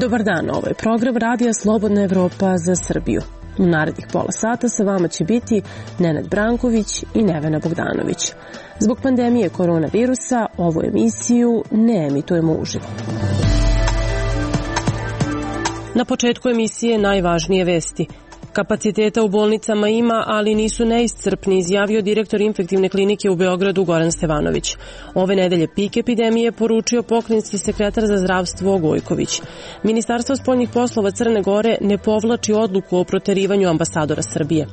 Dobar dan, ovo je program Radija Slobodna Evropa za Srbiju. U narednih pola sata sa vama će biti Nenad Branković i Nevena Bogdanović. Zbog pandemije koronavirusa ovu emisiju ne emitujemo uživo. Na početku emisije najvažnije vesti. Kapaciteta u bolnicama ima, ali nisu neiscrpni, izjavio direktor infektivne klinike u Beogradu Goran Stevanović. Ove nedelje pik epidemije poručio pokrajinski sekretar za zdravstvo Gojković. Ministarstvo spoljnih poslova Crne Gore ne povlači odluku o proterivanju ambasadora Srbije.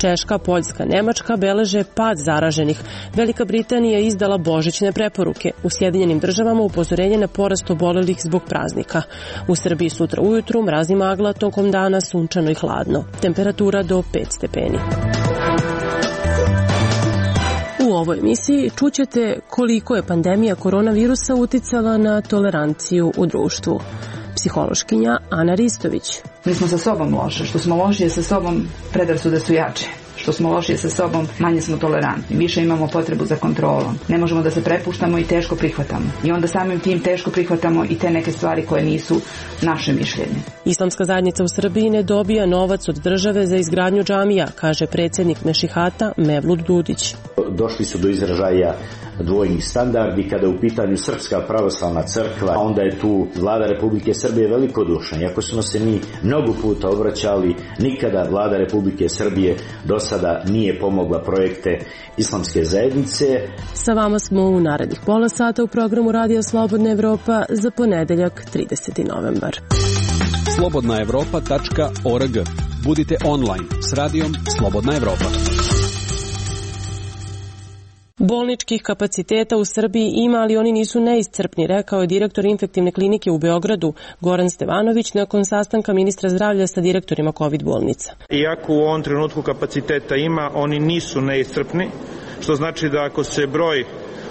Češka, Poljska, Nemačka beleže pad zaraženih. Velika Britanija je izdala božićne preporuke. U Sjedinjenim državama upozorenje na porast obolelih zbog praznika. U Srbiji sutra ujutru mrazi magla, tokom dana sunčano i hladno. Temperatura do 5 stepeni. U ovoj emisiji čućete koliko je pandemija koronavirusa uticala na toleranciju u društvu. Psihološkinja Ana Ristović. Mi smo sa sobom loše. Što smo lošije sa sobom, predrasude su jače. Što smo lošije sa sobom, manje smo tolerantni. Više imamo potrebu za kontrolom. Ne možemo da se prepuštamo i teško prihvatamo. I onda samim tim teško prihvatamo i te neke stvari koje nisu naše mišljenje. Islamska zajednica u Srbiji ne dobija novac od države za izgradnju džamija, kaže predsjednik Mešihata Mevlut Dudić. Došli su do izražaja dvojnih standardi kada je u pitanju Srpska pravoslavna crkva, a onda je tu vlada Republike Srbije velikodušna. Iako smo se mi mnogo puta obraćali, nikada vlada Republike Srbije do sada nije pomogla projekte islamske zajednice. Sa vama smo u narednih pola sata u programu Radija Slobodna Evropa za ponedeljak 30. novembar. slobodnaevropa.org. Budite online s radijom Slobodna Evropa. Bolničkih kapaciteta u Srbiji ima, ali oni nisu neiscrpni, rekao je direktor infektivne klinike u Beogradu Goran Stevanović nakon sastanka ministra zdravlja sa direktorima COVID bolnica. Iako u ovom trenutku kapaciteta ima, oni nisu neiscrpni, što znači da ako se broj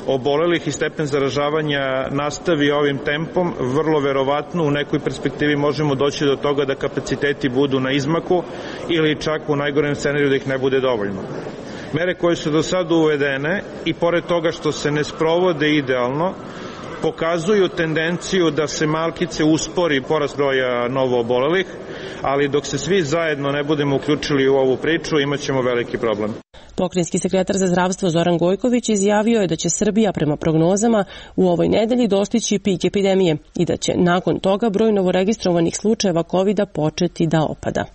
obolelih i stepen zaražavanja nastavi ovim tempom, vrlo verovatno u nekoj perspektivi možemo doći do toga da kapaciteti budu na izmaku ili čak u najgorem scenariju da ih ne bude dovoljno. Mere koje su do sada uvedene i pored toga što se ne sprovode idealno, pokazuju tendenciju da se malkice uspori porast broja novoobolelih, ali dok se svi zajedno ne budemo uključili u ovu priču, imat ćemo veliki problem. Pokrajinski sekretar za zdravstvo Zoran Gojković izjavio je da će Srbija prema prognozama u ovoj nedelji dostići pik epidemije i da će nakon toga broj novoregistrovanih slučajeva COVID-a početi da opada.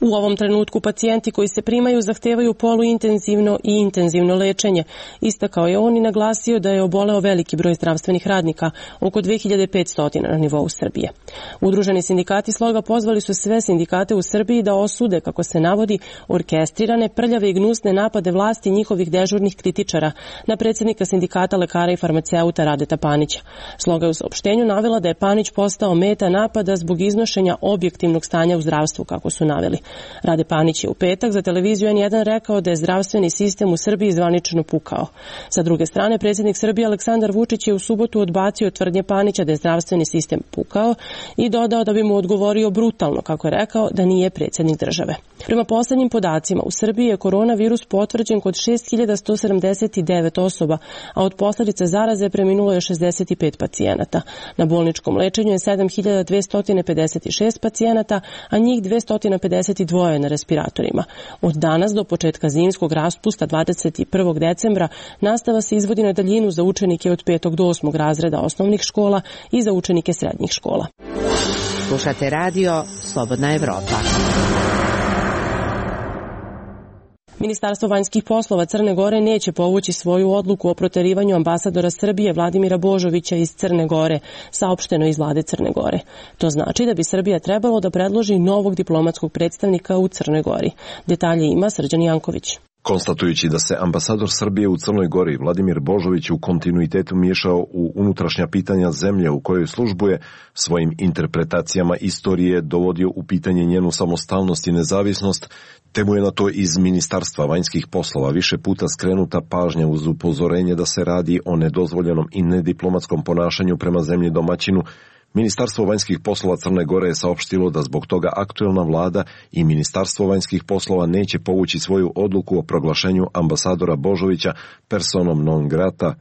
U ovom trenutku pacijenti koji se primaju zahtevaju poluintenzivno i intenzivno lečenje. Istakao je on i naglasio da je oboleo veliki broj zdravstvenih radnika, oko 2500 na nivou Srbije. Udruženi sindikati Sloga pozvali su sve sindikate u Srbiji da osude, kako se navodi, orkestrirane, prljave i gnusne napade vlasti i njihovih dežurnih kritičara na predsjednika sindikata lekara i farmaceuta Radeta Panića. Sloga je u saopštenju navela da je Panić postao meta napada zbog iznošenja objektivnog stanja u zdravstvu, kako su naveli. Rade Panić je u petak za televiziju N1 rekao da je zdravstveni sistem u Srbiji zvanično pukao. Sa druge strane, predsjednik Srbije Aleksandar Vučić je u subotu odbacio tvrdnje Panića da je zdravstveni sistem pukao i dodao da bi mu odgovorio brutalno, kako je rekao, da nije predsjednik države. Prema poslednjim podacima, u Srbiji je koronavirus potvrđen kod 6179 osoba, a od posljedica zaraze preminulo je 65 pacijenata. Na bolničkom lečenju je 7256 pacijenata, a njih 252 na respiratorima. Od danas do početka zimskog raspusta 21. decembra nastava se izvodi na daljinu za učenike od 5. do 8. razreda osnovnih škola i za učenike srednjih škola. Slušate radio Slobodna Evropa. Ministarstvo vanjskih poslova Crne Gore neće povući svoju odluku o proterivanju ambasadora Srbije Vladimira Božovića iz Crne Gore, saopšteno iz vlade Crne Gore. To znači da bi Srbija trebalo da predloži novog diplomatskog predstavnika u Crnoj Gori. Detalje ima Srđan Janković. Konstatujući da se ambasador Srbije u Crnoj Gori Vladimir Božović u kontinuitetu miješao u unutrašnja pitanja zemlje u kojoj službuje, svojim interpretacijama istorije dovodio u pitanje njenu samostalnost i nezavisnost, te mu je na to iz Ministarstva vanjskih poslova više puta skrenuta pažnja uz upozorenje da se radi o nedozvoljenom i nediplomatskom ponašanju prema zemlji domaćinu. Ministarstvo vanjskih poslova Crne Gore je saopštilo da zbog toga aktuelna vlada i Ministarstvo vanjskih poslova neće povući svoju odluku o proglašenju ambasadora Božovića personom non grata,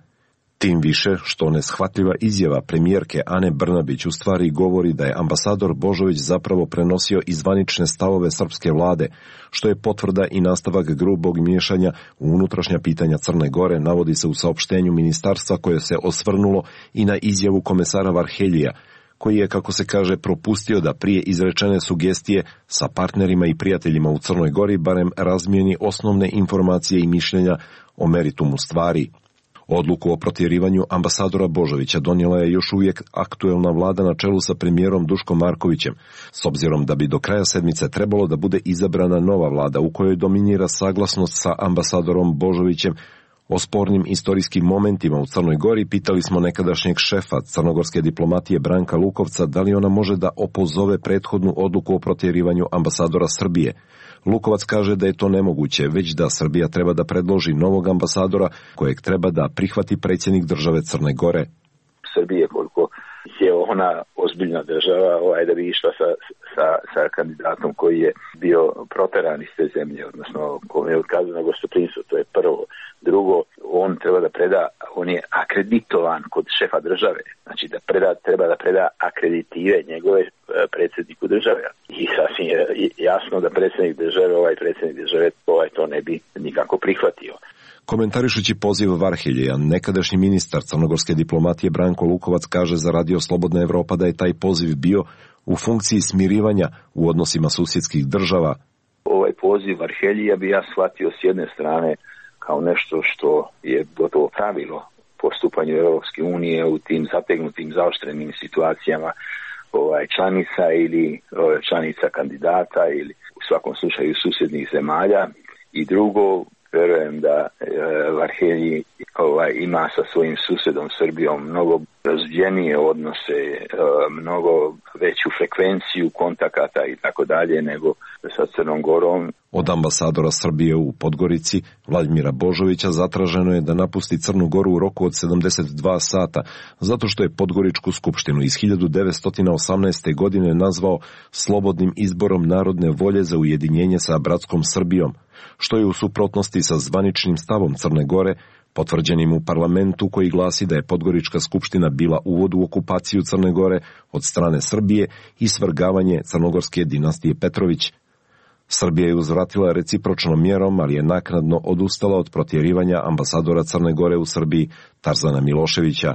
Tim više što neshvatljiva izjava premijerke Ane Brnabić u stvari govori da je ambasador Božović zapravo prenosio zvanične stavove srpske vlade, što je potvrda i nastavak grubog miješanja u unutrašnja pitanja Crne Gore, navodi se u saopštenju ministarstva koje se osvrnulo i na izjavu komesara Varheljija, koji je, kako se kaže, propustio da prije izrečene sugestije sa partnerima i prijateljima u Crnoj Gori barem razmijeni osnovne informacije i mišljenja o meritumu stvari. Odluku o protjerivanju ambasadora Božovića donijela je još uvijek aktuelna vlada na čelu sa premijerom Duškom Markovićem, s obzirom da bi do kraja sedmice trebalo da bude izabrana nova vlada u kojoj dominira saglasnost sa ambasadorom Božovićem. O spornim istorijskim momentima u Crnoj Gori pitali smo nekadašnjeg šefa crnogorske diplomatije Branka Lukovca da li ona može da opozove prethodnu odluku o protjerivanju ambasadora Srbije. Lukovac kaže da je to nemoguće, već da Srbija treba da predloži novog ambasadora kojeg treba da prihvati predsjednik države Crne Gore. Srbije, koliko je ona ozbiljna država, da bi išla sa kandidatom koji je bio proteran iz te zemlje, odnosno kome je otkazano gostoprimstvo, to je prvo. Drugo, on treba da preda, on je akreditovan kod šefa države, znači da treba da preda akreditive njegove predsjedniku države. I sasvim je jasno da predsjednik države to ne bi nikako prihvatio. Komentarišući poziv Varhelja, nekadašnji ministar crnogorske diplomatije Branko Lukovac kaže za Radio Slobodna Evropa da je taj poziv bio u funkciji smirivanja u odnosima susjedskih država. Ovaj poziv Varheljija bi ja shvatio s jedne strane kao nešto što je gotovo pravilo postupanju Europske unije u tim zategnutim, zaoštrenim situacijama članica ili članica kandidata ili u svakom slučaju susjednih zemalja. I drugo, verujem da Varhelji ima sa svojim susjedom Srbijom mnogo razvijenije odnose, mnogo veću frekvenciju kontakata i tako dalje nego sa Crnom Gorom. Od ambasadora Srbije u Podgorici, Vladimira Božovića, zatraženo je da napusti Crnu Goru u roku od 72 sata, zato što je Podgoričku skupštinu iz 1918. godine nazvao slobodnim izborom narodne volje za ujedinjenje sa bratskom Srbijom, što je u suprotnosti sa zvaničnim stavom Crne Gore, potvrđenim u parlamentu koji glasi da je Podgorička skupština bila uvod u okupaciju Crne Gore od strane Srbije i svrgavanje crnogorske dinastije Petrović. Srbija je uzvratila recipročnom mjerom, ali je naknadno odustala od protjerivanja ambasadora Crne Gore u Srbiji Tarzana Miloševića.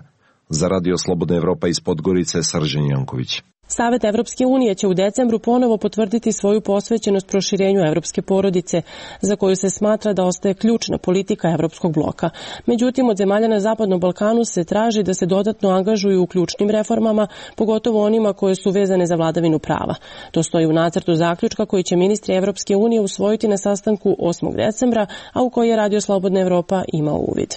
Za Radio Slobodna Evropa iz Podgorice, Srđan Janković. Savet Evropske unije će u decembru ponovo potvrditi svoju posvećenost proširenju evropske porodice, za koju se smatra da ostaje ključna politika evropskog bloka. Međutim, od zemalja na Zapadnom Balkanu se traži da se dodatno angažuju u ključnim reformama, pogotovo onima koje su vezane za vladavinu prava. To stoji u nacrtu zaključka koji će ministri Evropske unije usvojiti na sastanku 8. decembra, a u koji je Radio Slobodna Evropa imao uvid.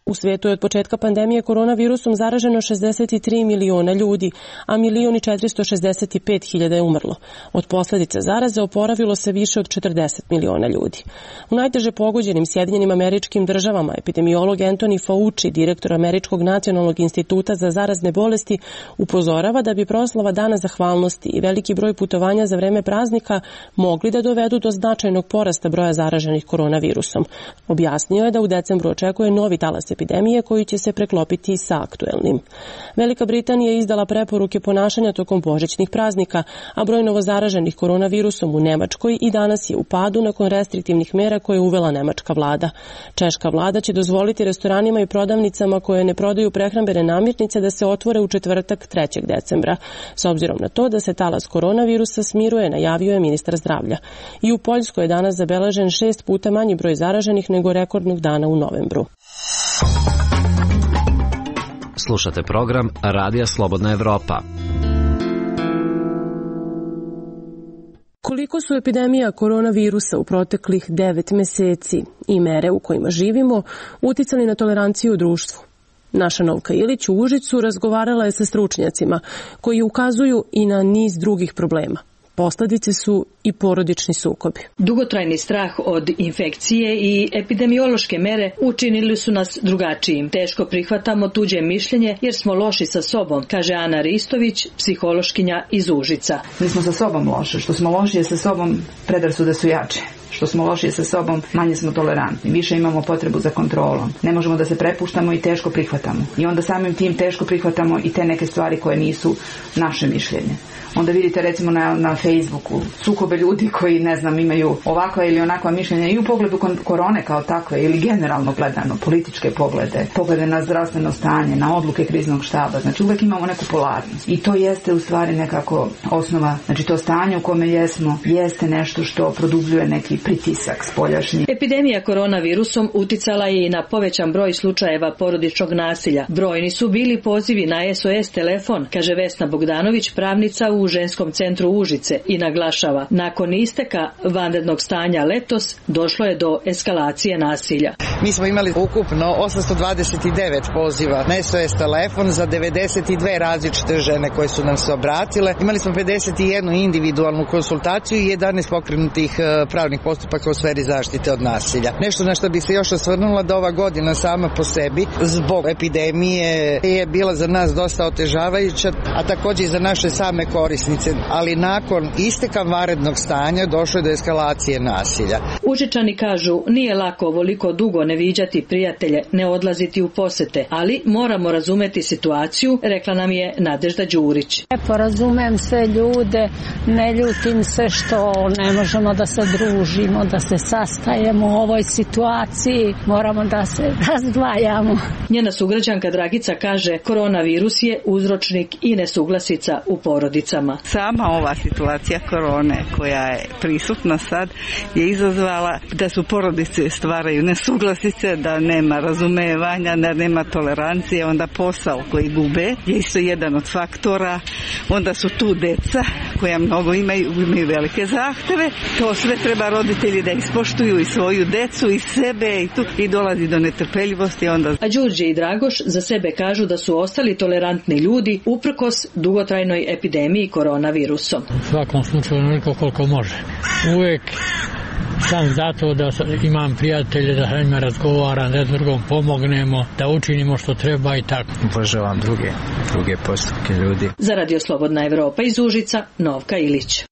U svijetu je od početka pandemije koronavirusom zaraženo 63 miliona ljudi, a 1.465.000 je umrlo. Od posljedica zaraze oporavilo se više od 40 miliona ljudi. U najteže pogođenim Sjedinjenim Američkim Državama epidemiolog Anthony Fauci, direktor Američkog nacionalnog instituta za zarazne bolesti, upozorava da bi proslava Dana zahvalnosti i veliki broj putovanja za vreme praznika mogli da dovedu do značajnog porasta broja zaraženih koronavirusom. Objasnio je da u decembru očekuje novi talas epidemije koji će se preklopiti sa aktuelnim. Velika Britanija je izdala preporuke ponašanja tokom božićnih praznika, a broj novozaraženih koronavirusom u Nemačkoj i danas je u padu nakon restriktivnih mera koje je uvela nemačka vlada. Češka vlada će dozvoliti restoranima i prodavnicama koje ne prodaju prehrambene namirnice da se otvore u četvrtak 3. decembra. S obzirom na to da se talas koronavirusa smiruje, najavio je ministar zdravlja. I u Poljskoj je danas zabeležen 6 puta manji broj zaraženih nego rekordnog dana u novembru. Slušate program Radija Slobodna Evropa. Koliko su epidemija koronavirusa u proteklih 9 meseci i mere u kojima živimo uticali na toleranciju u društvu? Naša Novka Ilić u Užicu razgovarala je sa stručnjacima koji ukazuju i na niz drugih problema. Posledice su i porodični sukobi. Dugotrajni strah od infekcije i epidemiološke mere učinili su nas drugačijim. Teško prihvatamo tuđe mišljenje jer smo loši sa sobom, kaže Ana Ristović, psihološkinja iz Užica. Mi smo sa sobom loše. Što smo lošije sa sobom, predrasude su jače. Što smo lošije sa sobom, manje smo tolerantni. Više imamo potrebu za kontrolom. Ne možemo da se prepuštamo i teško prihvatamo. I onda samim tim teško prihvatamo i te neke stvari koje nisu naše mišljenje. Onda vidite recimo na Facebooku sukobe ljudi koji, ne znam, imaju ovakva ili onakva mišljenja i u pogledu korone kao takve ili generalno gledano, političke poglede na zdravstveno stanje, na odluke kriznog štaba. Znači uvek imamo neku polarnost. I to jeste u stvari nekako osnova, znači to stanje u kome jesmo, jeste nešto što produbljuje neki pritisak spoljašnji. Epidemija koronavirusom uticala je i na povećan broj slučajeva porodičnog nasilja. Brojni su bili pozivi na SOS telefon, kaže Vesna Bogdanović, pravnica u Ženskom centru Užice, i naglašava, nakon isteka vanrednog stanja letos došlo je do eskalacije nasilja. Mi smo imali ukupno 829 poziva na SOS telefon za 92 različite žene koje su nam se obratile. Imali smo 51 individualnu konsultaciju i 11 pokrenutih pravnih postupaka u sferi zaštite od nasilja. Nešto na što bi se još osvrnula da ova godina sama po sebi zbog epidemije je bila za nas dosta otežavajuća, a također i za naše same korisnice. Ali nakon isteka vanrednog stanja došlo je do eskalacije nasilja. Užičani kažu, nije lako ovoliko dugo ne viđati prijatelje, ne odlaziti u posete, ali moramo razumeti situaciju, rekla nam je Nadežda Đurić. Razumem sve ljude, ne ljutim se što ne možemo da se družimo, da se sastajemo u ovoj situaciji, moramo da se razdvajamo. Njena sugrađanka Dragica kaže, koronavirus je uzročnik i nesuglasica u porodicama. Sama ova situacija korone koja je prisutna sad je izazvala da su porodice stvaraju nesuglasice, da nema razumevanja, da nema tolerancije, onda posao koji gube je isto jedan od faktora, onda su tu deca koja mnogo imaju velike zahteve, to sve treba roditelji da ispoštuju i svoju decu i sebe i dolazi do netrpeljivosti. A Đurđe i Dragoš za sebe kažu da su ostali tolerantni ljudi uprkos dugotrajnoj epidemiji koronavirusom. U svakom slučaju onoliko koliko može. Uvijek sam zato da imam prijatelje, da sa njima razgovaram, da drugom pomognemo, da učinimo što treba i tako. Obožavam druge postupke ljudi. Za Radio Slobodna Evropa iz Užica, Novka Ilić.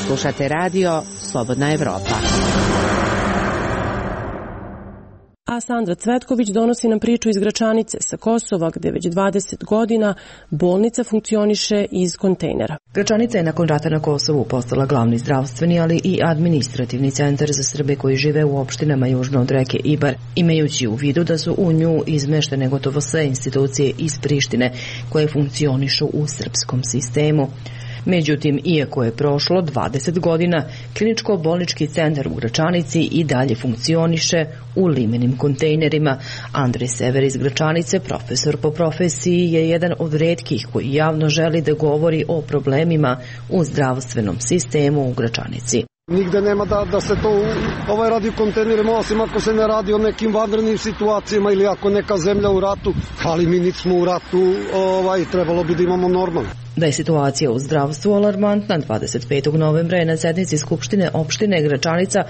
Slušate radio Slobodna Evropa. A Sandra Cvetković donosi nam priču iz Gračanice sa Kosova, gde već 20 godina bolnica funkcioniše iz kontejnera. Gračanica je nakon rata na Kosovu postala glavni zdravstveni, ali i administrativni centar za Srbe koji žive u opštinama južno od reke Ibar, imajući u vidu da su u nju izmeštene gotovo sve institucije iz Prištine koje funkcionišu u srpskom sistemu. Međutim, iako je prošlo 20 godina, kliničko-bolnički centar u Gračanici i dalje funkcioniše u limenim kontejnerima. Andrej Sever iz Gračanice, profesor po profesiji, je jedan od retkih koji javno želi da govori o problemima u zdravstvenom sistemu u Gračanici. Nigde nema da se to radi u kontejnerima, osim ako se ne radi o nekim vanrednim situacijama ili ako neka zemlja u ratu, ali mi nismo u ratu, trebalo bi da imamo normalno. Da je situacija u zdravstvu alarmantna, 25. novembra je na sednici Skupštine opštine Gračanica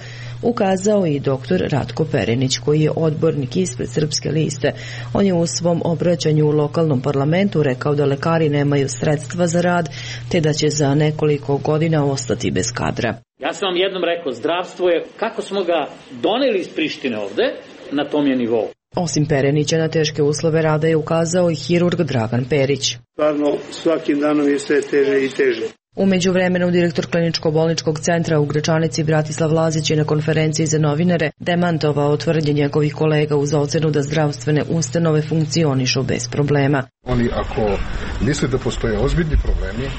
ukazao i dr. Ratko Perenić, koji je odbornik ispred Srpske liste. On je u svom obraćanju u lokalnom parlamentu rekao da lekari nemaju sredstva za rad, te da će za nekoliko godina ostati bez kadra. Ja sam vam jednom rekao, zdravstvo je, kako smo ga doneli iz Prištine ovde, na tom je nivou. Osim Perenića, na teške uslove rada je ukazao i hirurg Dragan Perić. Stvarno, svakim danom je sve teže i teže. U međuvremenu, direktor kliničko-bolničkog centra u Gračanici Bratislav Lazić je na konferenciji za novinare demantovao tvrdnje njegovih kolega uz ocenu da zdravstvene ustanove funkcionišu bez problema. Oni ako misle da postoje ozbiljni problemi,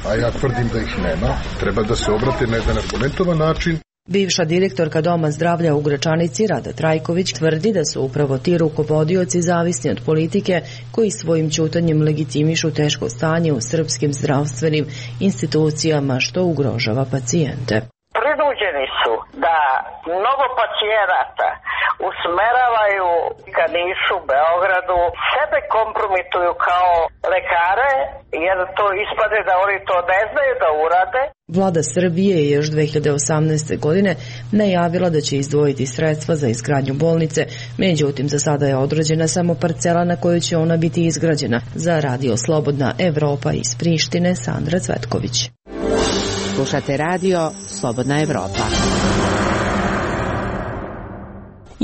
a ja tvrdim da ih nema, treba da se obrate na jedan argumentovan način. Bivša direktorka Doma zdravlja u Gračanici Rada Trajković tvrdi da su upravo ti rukovodioci zavisni od politike koji svojim ćutanjem legitimišu teško stanje u srpskim zdravstvenim institucijama što ugrožava pacijente. Prinuđeni su da mnogo pacijenata usmeravaju ka Nišu, Beogradu, sebe kompromituju kao lekare, jer to ispade da oni to ne znaju da urade. Vlada Srbije je još 2018. godine najavila da će izdvojiti sredstva za izgradnju bolnice, međutim za sada je određena samo parcela na kojoj će ona biti izgrađena. Za Radio Slobodna Evropa iz Prištine, Sandra Cvetković. Slušate Radio Slobodna Evropa.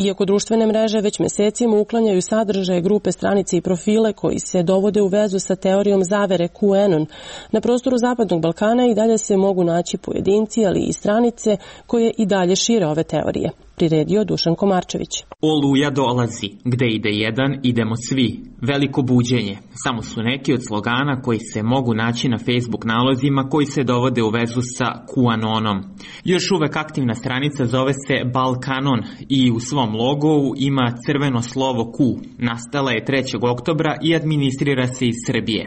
Iako društvene mreže već mesecima uklanjaju sadržaje, grupe, stranice i profile koji se dovode u vezu sa teorijom zavere QAnon, na prostoru Zapadnog Balkana i dalje se mogu naći pojedinci, ali i stranice koje i dalje šire ove teorije. Priredio Dušan Komarčević. Oluja dolazi, gde ide jedan, idemo svi. Veliko buđenje. Samo su neki od slogana koji se mogu naći na Facebook nalozima koji se dovode u vezu sa QAnonom. Još uvek aktivna stranica zove se Balkanon i u svom logovu ima crveno slovo Q. Nastala je 3. oktobra i administrira se iz Srbije.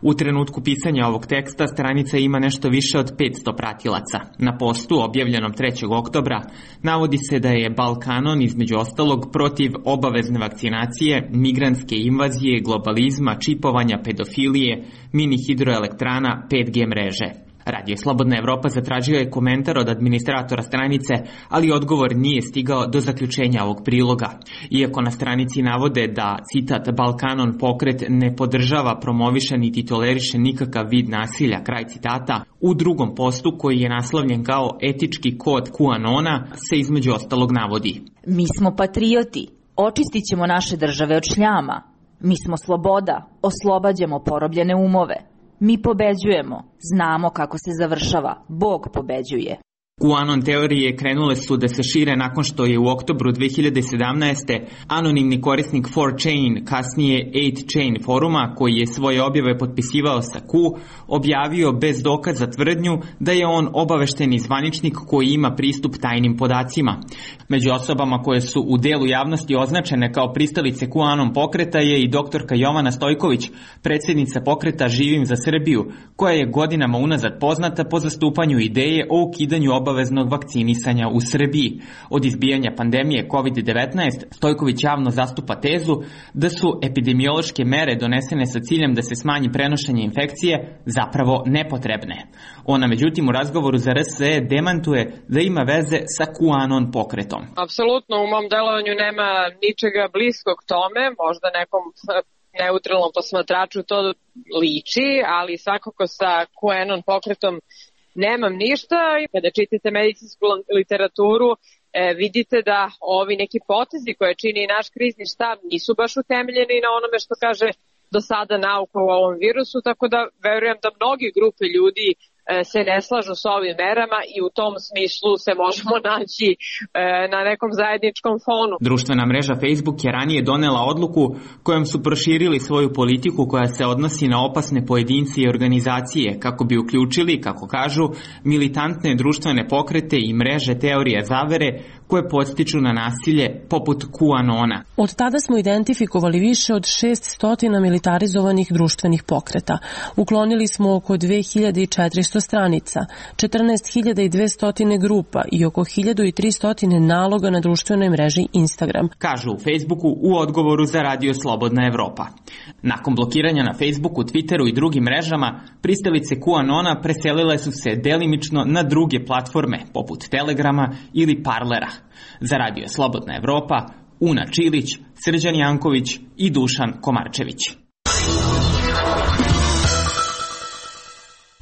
U trenutku pisanja ovog teksta stranica ima nešto više od 500 pratilaca. Na postu objavljenom 3. oktobra navodi se da je Balkanon između ostalog protiv obavezne vakcinacije, migrantske invazije, globalizma, čipovanja, pedofilije, mini hidroelektrana, 5G mreže. Radio Slobodna Evropa zatražio je komentar od administratora stranice, ali odgovor nije stigao do zaključenja ovog priloga. Iako na stranici navode da, citat, Balkanon pokret ne podržava, promoviše niti toleriše nikakav vid nasilja, kraj citata, u drugom postu koji je naslovljen kao etički kod QAnona se između ostalog navodi. Mi smo patrioti, očistit ćemo naše države od šljama. Mi smo sloboda, oslobađamo porobljene umove. Mi pobeđujemo, znamo kako se završava, Bog pobeđuje. QAnon teorije krenule su da se šire nakon što je u oktobru 2017. anonimni korisnik 4chan, kasnije 8chan foruma, koji je svoje objave potpisivao sa Q, objavio bez dokaza tvrdnju da je on obavešteni zvaničnik koji ima pristup tajnim podacima. Među osobama koje su u delu javnosti označene kao pristalice QAnon pokreta je i doktorka Jovana Stojković, predsjednica pokreta Živim za Srbiju, koja je godinama unazad poznata po zastupanju ideje o ukidanju obaveznog vakcinisanja u Srbiji. Od izbijanja pandemije COVID-19, Stojković javno zastupa tezu da su epidemiološke mere donesene sa ciljem da se smanji prenošenje infekcije zapravo nepotrebne. Ona međutim u razgovoru za RSE demantuje da ima veze sa QAnon pokretom. Apsolutno u mom delovanju nema ničega bliskog tome, možda nekom neutralnom posmatraču to liči, ali svakako sa QAnon pokretom nemam ništa. I kada čitate medicinsku literaturu, vidite da ovi neki potezi koje čini naš krizni štab nisu baš utemeljeni na onome što kaže do sada nauka u ovom virusu, tako da verujem da mnogi grupe ljudi se ne slažu s ovim merama i u tom smislu se možemo naći na nekom zajedničkom fonu. Društvena mreža Facebook je ranije donela odluku kojom su proširili svoju politiku koja se odnosi na opasne pojedince i organizacije kako bi uključili, kako kažu, militantne društvene pokrete i mreže teorija zavere koje podstiču na nasilje poput QAnona. Od tada smo identifikovali više od 600 militarizovanih društvenih pokreta. Uklonili smo oko 2400 stranica, 14.200 grupa i oko 1300 naloga na društvenoj mreži Instagram. Kažu u Facebooku u odgovoru za Radio Slobodna Evropa. Nakon blokiranja na Facebooku, Twitteru i drugim mrežama, pristalice QAnona preselile su se delimično na druge platforme, poput Telegrama ili Parlera. Za Radio Slobodna Evropa, Una Čilić, Srđan Janković i Dušan Komarčević.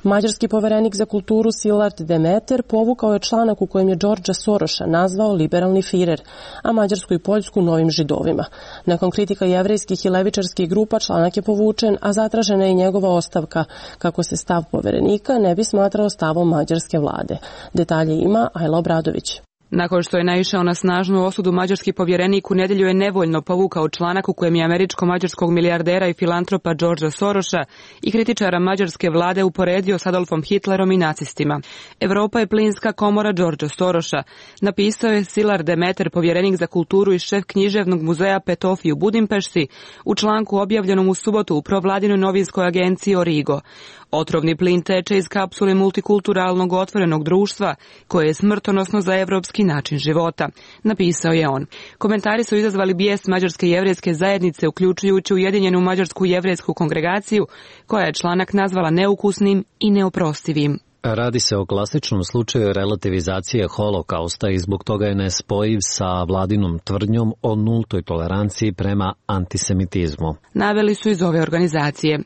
Mađarski poverenik za kulturu Szilard Demeter povukao je članak u kojem je Đorđa Soroša nazvao liberalni firer, a Mađarsku i Poljsku novim židovima. Nakon kritika jevrejskih i levičarskih grupa članak je povučen, a zatražena je i njegova ostavka, kako se stav poverenika ne bi smatrao stavom mađarske vlade. Detalje ima Ajla Obradović. Nakon što je naišao na snažnu osudu, mađarski povjerenik u nedjelju je nevoljno povukao članak u kojem je američko-mađarskog milijardera i filantropa Đorđa Soroša i kritičara mađarske vlade uporedio s Adolfom Hitlerom i nacistima. Evropa je plinska komora Đorđa Soroša, napisao je Szilard Demeter, povjerenik za kulturu i šef književnog muzeja Petofi u Budimpešti, u članku objavljenom u subotu u provladinoj novinskoj agenciji Origo. Otrovni plin teče iz kapsule multikulturalnog otvorenog društva, koje je smrtonosno za evropski način života, napisao je on. Komentari su izazvali bijes mađarske jevrejske zajednice, uključujući Ujedinjenu mađarsku jevrejsku kongregaciju, koja je članak nazvala neukusnim i neoprostivim. Radi se o klasičnom slučaju relativizacije holokausta i zbog toga je nespojiv sa vladinom tvrdnjom o nultoj toleranciji prema antisemitizmu. Naveli su iz ove organizacije.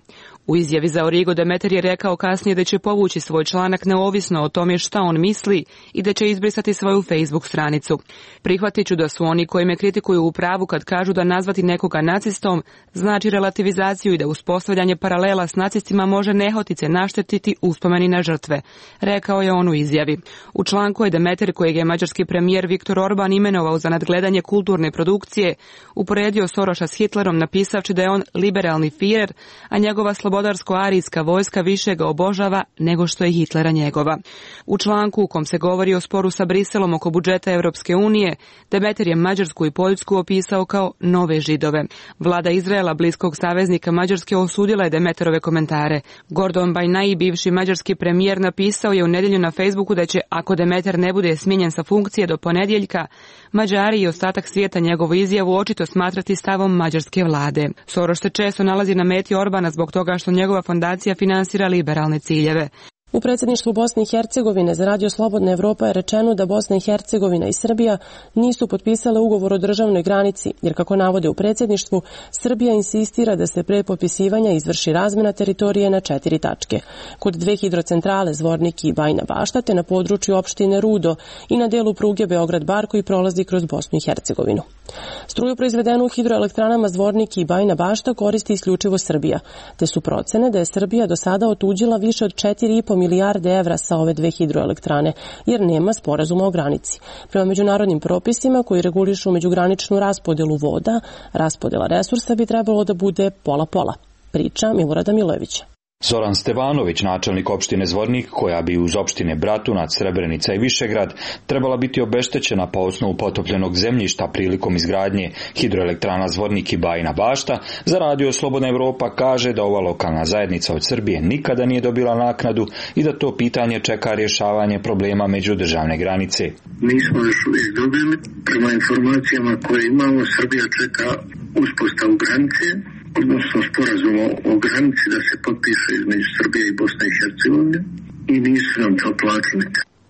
U izjavi za Origo Demeter je rekao kasnije da će povući svoj članak neovisno o tome šta on misli i da će izbrisati svoju Facebook stranicu. Prihvatit ću da su oni koji me kritikuju u pravu kad kažu da nazvati nekoga nacistom znači relativizaciju i da uspostavljanje paralela s nacistima može nehotice naštetiti uspomeni na žrtve, rekao je on u izjavi. U članku je Demeter, kojeg je mađarski premijer Viktor Orban imenovao za nadgledanje kulturne produkcije, uporedio Soroša s Hitlerom napisavši da je on liberalni Führer, a njegova slobodarsko-arijska vojska više ga obožava nego što je Hitlera njegova. U članku u kom se govori o sporu sa Briselom oko budžeta Europske unije, Demeter je Mađarsku i Poljsku opisao kao nove Židove. Vlada Izraela, bliskog saveznika Mađarske, osudila je Demeterove komentare. Gordon Bajnai, bivši mađarski premijer, napisao je u nedjelju na Facebooku da će, ako Demeter ne bude smijenjen sa funkcije do ponedjeljka, Mađari i ostatak svijeta njegovu izjavu očito smatrati stavom mađarske vlade. Soroš se često nalazi na meti Orbana zbog toga što njegova fondacija finansira liberalne ciljeve. U predsjedništvu Bosne i Hercegovine za Radio Slobodna Evropa je rečeno da Bosna i Hercegovina i Srbija nisu potpisale ugovor o državnoj granici, jer kako navode u predsjedništvu, Srbija insistira da se pre potpisivanja izvrši razmjena teritorije na 4 tačke. Kod 2 hidrocentrale Zvornik i Bajina Bašta, te na području opštine Rudo i na delu pruge Beograd-Bar koji prolazi kroz Bosnu i Hercegovinu. Struju proizvedenu u hidroelektranama Zvornik i Bajina Bašta koristi isključivo Srbija, te su procene da je Srbija do sada otuđila više od 4,5 milijarde evra sa ove 2 hidroelektrane, jer nema sporazuma o granici. Prema međunarodnim propisima koji regulišu međugraničnu raspodelu voda, raspodela resursa bi trebalo da bude pola-pola. Priča Milorada Milojevića. Zoran Stevanović, načelnik opštine Zvornik, koja bi uz opštine Bratunac, Srebrenica i Višegrad trebala biti obeštećena po osnovu potopljenog zemljišta prilikom izgradnje hidroelektrana Zvornik i Bajina Bašta, za Radio Slobodna Evropa kaže da ova lokalna zajednica od Srbije nikada nije dobila naknadu i da to pitanje čeka rješavanje problema međudržavne granice. Nismo još uvijek dobili. Prema informacijama koje imamo, Srbija čeka uspostavu granice, odnosno sporazum o granici da se potpiše između Srbije i Bosne i Hercegovine i nisu nam to platili.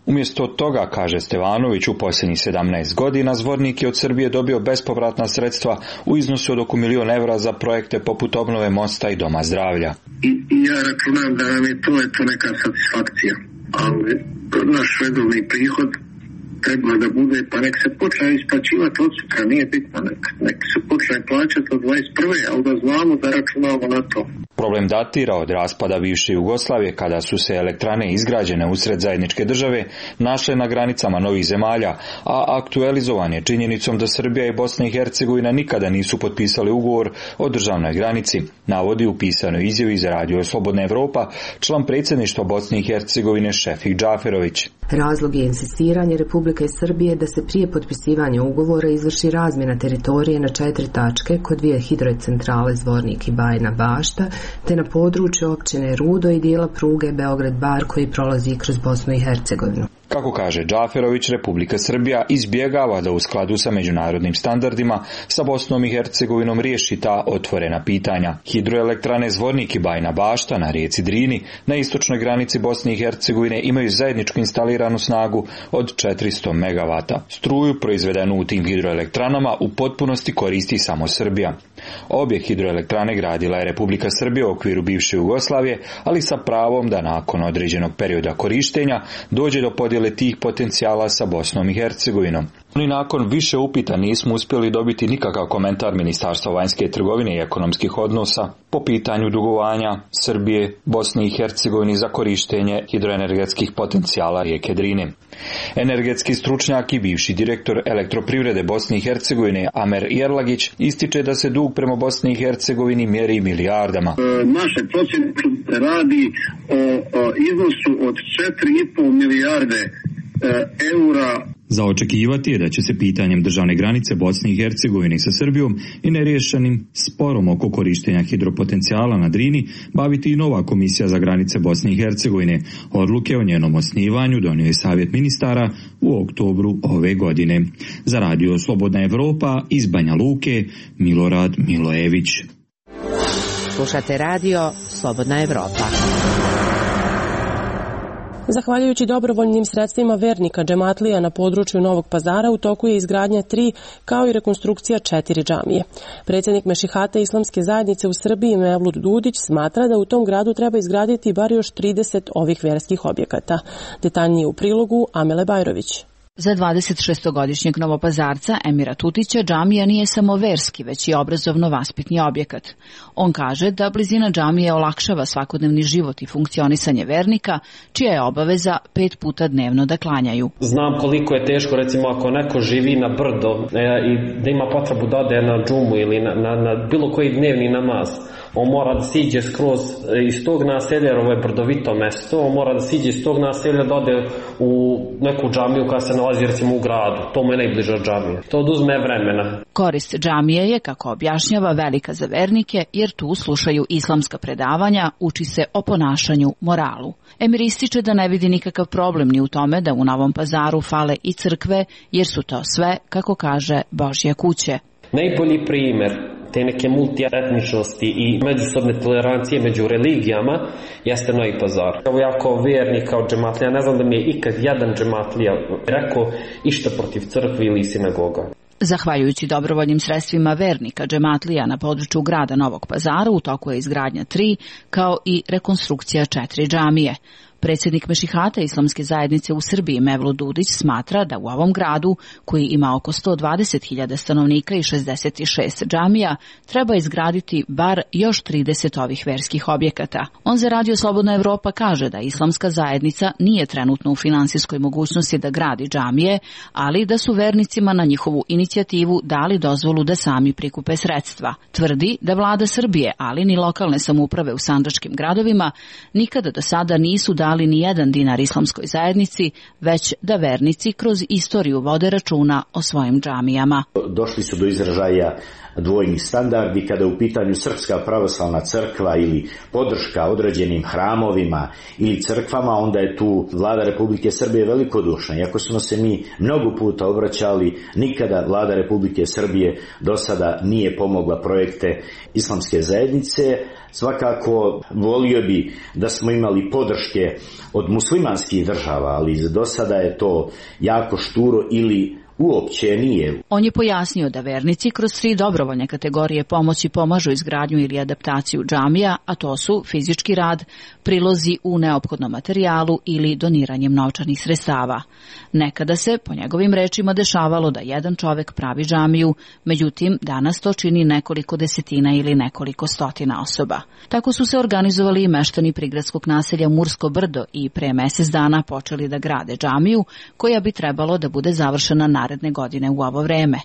Umjesto toga, kaže Stevanović, u posljednjih 17 godina Zvornik je od Srbije dobio bespovratna sredstva u iznosu od oko $1 milion za projekte poput obnove mosta i doma zdravlja. I ja računam da nam je to neka satisfakcija, ali naš redovni prihod treba da bude, pa nek se počne isplaćivati od sutra, nije bitno, nek se počne plaćati od 21. ali da znamo da računamo na to. Problem datira od raspada bivše Jugoslavije, kada su se elektrane izgrađene usred zajedničke države našle na granicama novih zemalja, a aktualizovan je činjenicom da Srbija i Bosna i Hercegovina nikada nisu potpisali ugovor o državnoj granici, navodi u pisanoj izjavi za Radio Slobodna Evropa član predsjedništva Bosne i Hercegovine Šefik Džaferović. Razlog je insistiranje Republike Srbije da se prije potpisivanja ugovora izvrši razmjena teritorije na 4 tačke kod 2 hidrocentrale Zvornik i Bajina Bašta, te na području općine Rudo i dijela pruge Beograd-Bar koji prolazi kroz Bosnu i Hercegovinu. Kako kaže Džaferović, Republika Srbija izbjegava da u skladu sa međunarodnim standardima sa Bosnom i Hercegovinom riješi ta otvorena pitanja. Hidroelektrane Zvornik i Bajina Bašta na rijeci Drini na istočnoj granici Bosne i Hercegovine imaju zajedničku instaliranu snagu od 400 MW. Struju proizvedenu u tim hidroelektranama u potpunosti koristi samo Srbija. Obje hidroelektrane gradila je Republika Srbija u okviru bivše Jugoslavije, ali sa pravom da nakon određenog perioda korištenja dođe do podjele tih potencijala sa Bosnom i Hercegovinom. I nakon više upita nismo uspjeli dobiti nikakav komentar Ministarstva vanjske trgovine i ekonomskih odnosa po pitanju dugovanja Srbije, Bosne i Hercegovine za korištenje hidroenergetskih potencijala rijeke Drine. Energetski stručnjak i bivši direktor Elektroprivrede Bosne i Hercegovine Amer Jerlagić ističe da se dug prema Bosni i Hercegovini mjeri milijardama. Naše procjene radi o iznosu od 4,5 milijarde eura. Za očekivati je da će se pitanjem državne granice Bosne i Hercegovine sa Srbijom i neriješenim sporom oko korištenja hidropotencijala na Drini baviti i nova komisija za granice Bosne i Hercegovine. Odluke o njenom osnivanju donio je Savjet ministara u oktobru ove godine. Za Radio Slobodna Evropa iz Banja Luke, Milorad Milojević. Slušate Radio Slobodna Evropa. Zahvaljujući dobrovoljnim sredstvima vernika džematlija na području Novog Pazara u toku je izgradnja 3 kao i rekonstrukcija 4 džamije. Predsjednik Mešihate Islamske zajednice u Srbiji Mevlut Dudić smatra da u tom gradu treba izgraditi bar još 30 ovih verskih objekata. Detaljnije u prilogu Amele Bajrović. Za 26-godišnjeg novopazarca Emira Tutića džamija nije samo verski, već i obrazovno-vaspitni objekat. On kaže da blizina džamije olakšava svakodnevni život i funkcionisanje vernika, čija je obaveza 5 puta dnevno da klanjaju. Znam koliko je teško, recimo, ako neko živi na brdo i da ima potrebu da ode na džumu ili na bilo koji dnevni namaz. On mora da siđe skroz iz tog naselja, jer ovo je brdovito mesto, on mora da siđe iz tog naselja da ode u neku džamiju koja se nalazi recimo u gradu. To mu je najbliža džamija. To oduzme vremena. Korist džamije je, kako objašnjava, velika za vernike, jer tu slušaju islamska predavanja, uči se o ponašanju, moralu. Emir ističe da ne vidi nikakav problem ni u tome da u Novom Pazaru fale i crkve, jer su to sve, kako kaže, Božje kuće. Najbolji primjer te neke multietničnosti i međusobne tolerancije među religijama jeste Novi Pazar. Evo ja kao vernik, kao džematlija, ne znam da mi je ikad jedan džematlija rekao išta protiv crkve ili sinagoga. Zahvaljujući dobrovoljnim sredstvima vernika džematlija na području grada Novog Pazara u toku je izgradnja 3 kao i rekonstrukcija 4 džamije. Predsjednik Mešihate Islamske zajednice u Srbiji Mevlut Dudić smatra da u ovom gradu, koji ima oko 120.000 stanovnika i 66 džamija, treba izgraditi bar još 30 ovih verskih objekata. On za Radio Slobodna Evropa kaže da Islamska zajednica nije trenutno u finansijskoj mogućnosti da gradi džamije, ali da su vernicima na njihovu inicijativu dali dozvolu da sami prikupe sredstva. Tvrdi da vlada Srbije, ali ni lokalne samouprave u sandžačkim gradovima nikada do sada nisu dali ni jedan dinar islamskoj zajednici, već da vernici kroz istoriju vode računa o svojim džamijama. Došli su do izražaja dvojni standardi kada je u pitanju Srpska pravoslavna crkva ili podrška određenim hramovima ili crkvama, onda je tu vlada Republike Srbije velikodušna. Iako smo se mi mnogo puta obraćali, nikada vlada Republike Srbije do sada nije pomogla projekte islamske zajednice. Svakako volio bi da smo imali podrške od muslimanskih država, ali do sada je to jako šturo ili uopće nije. On je pojasnio da vernici kroz 3 dobrovoljne kategorije pomoći pomažu izgradnju ili adaptaciju džamija, a to su fizički rad, prilozi u neophodnom materijalu ili doniranjem novčanih sredstava. Nekada se, po njegovim rečima, dešavalo da jedan čovek pravi džamiju, međutim danas to čini nekoliko desetina ili nekoliko stotina osoba. Tako su se organizovali i meštani prigradskog naselja Mursko Brdo i pre mesec dana počeli da grade džamiju, koja bi trebalo da bude završena naredne godine u ovo vreme.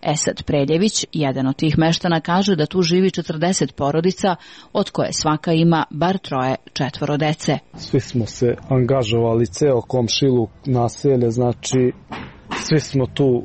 Esad Preljević, jedan od tih meštana, kaže da tu živi 40 porodica, od koje svaka ima bar 3-4 dece. Svi smo se angažovali, ceo komšiluk, naselje, znači svi smo tu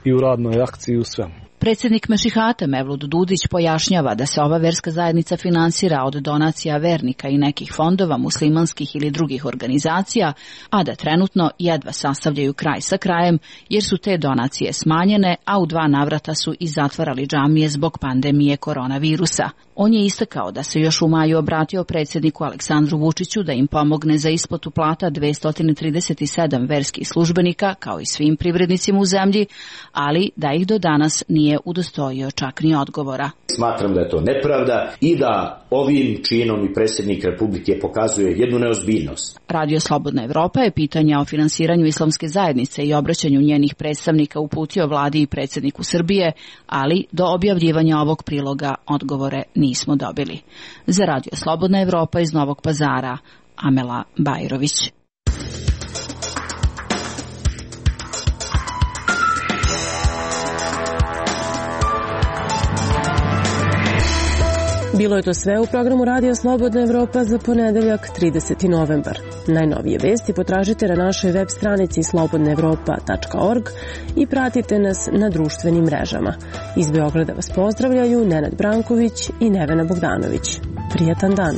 i u radnoj akciji u svemu. Predsjednik Mešihate Mevlut Dudić pojašnjava da se ova verska zajednica finansira od donacija vernika i nekih fondova, muslimanskih ili drugih organizacija, a da trenutno jedva sastavljaju kraj sa krajem, jer su te donacije smanjene, a u 2 navrata su i zatvarali džamije zbog pandemije koronavirusa. On je istakao da se još u maju obratio predsjedniku Aleksandru Vučiću da im pomogne za isplatu plata 237 verskih službenika, kao i svim privrednicima u zemlji, ali da ih do danas nije udostojio čak ni odgovora. Smatram da je to nepravda i da ovim činom i predsjednik Republike pokazuje jednu neozbiljnost. Radio Slobodna Evropa je pitanja o finansiranju islamske zajednice i obraćanju njenih predstavnika uputio vladi i predsjedniku Srbije, ali do objavljivanja ovog priloga odgovore nismo dobili. Za Radio Slobodna Evropa iz Novog Pazara, Amela Bajrović. Bilo je to sve u programu Radio Slobodna Evropa za ponedeljak 30. novembar. Najnovije vesti potražite na našoj web stranici slobodnaevropa.org i pratite nas na društvenim mrežama. Iz Beograda vas pozdravljaju Nenad Branković i Nevena Bogdanović. Prijatan dan!